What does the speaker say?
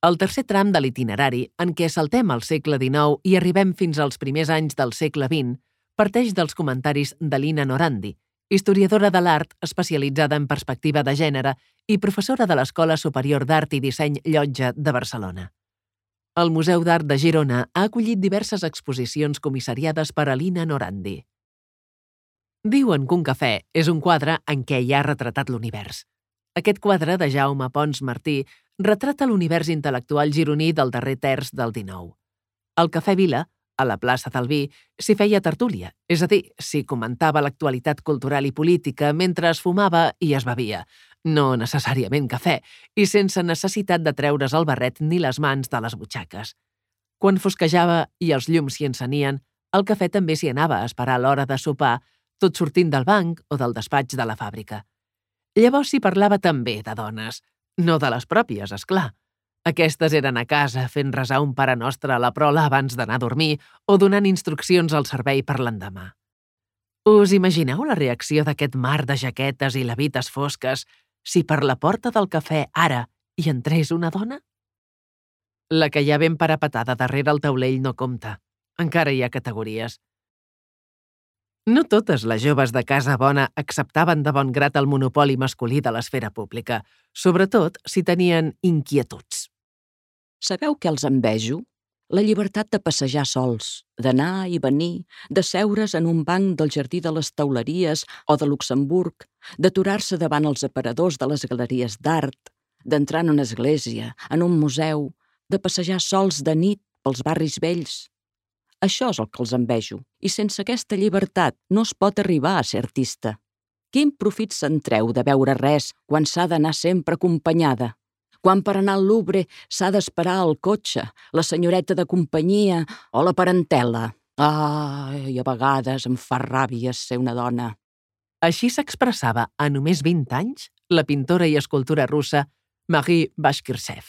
El tercer tram de l'itinerari, en què saltem al segle XIX i arribem fins als primers anys del segle XX, parteix dels comentaris de Lina Norandi, historiadora de l'art especialitzada en perspectiva de gènere i professora de l'Escola Superior d'Art i Disseny Llotja de Barcelona. El Museu d'Art de Girona ha acollit diverses exposicions comissariades per a Lina Norandi. Diuen que un cafè és un quadre en què hi ha retratat l'univers. Aquest quadre de Jaume Pons Martí retrata l'univers intel·lectual gironí del darrer terç del XIX. Al Cafè Vila, a la plaça del Vi, s'hi feia tertúlia, és a dir, s'hi comentava l'actualitat cultural i política mentre es fumava i es bevia, no necessàriament cafè, i sense necessitat de treure's el barret ni les mans de les butxaques. Quan fosquejava i els llums s'hi encenien, el cafè també s'hi anava a esperar l'hora de sopar, tot sortint del banc o del despatx de la fàbrica. Llavors s'hi parlava també de dones, no de les pròpies, és clar. Aquestes eren a casa fent resar un Pare Nostre a la prola abans d'anar a dormir o donant instruccions al servei per l'endemà. Us imagineu la reacció d'aquest mar de jaquetes i levites fosques si per la porta del cafè ara hi entrés una dona? La que hi ha ben parapetada darrere el taulell no compta. Encara hi ha categories. No totes les joves de casa bona acceptaven de bon grat el monopoli masculí de l'esfera pública, sobretot si tenien inquietuds. Sabeu què els envejo? La llibertat de passejar sols, d'anar i venir, de seure's en un banc del Jardí de les Teuleries o de Luxemburg, d'aturar-se davant els aparadors de les galeries d'art, d'entrar en una església, en un museu, de passejar sols de nit pels barris vells. Això és el que els envejo, i sense aquesta llibertat no es pot arribar a ser artista. Quin profit se'n treu de veure res quan s'ha d'anar sempre acompanyada? Quan per anar al Louvre s'ha d'esperar el cotxe, la senyoreta de companyia o la parentela? I a vegades em fa ràbia ser una dona. Així s'expressava a només 20 anys la pintora i escultora russa Marie Bashkirtsev.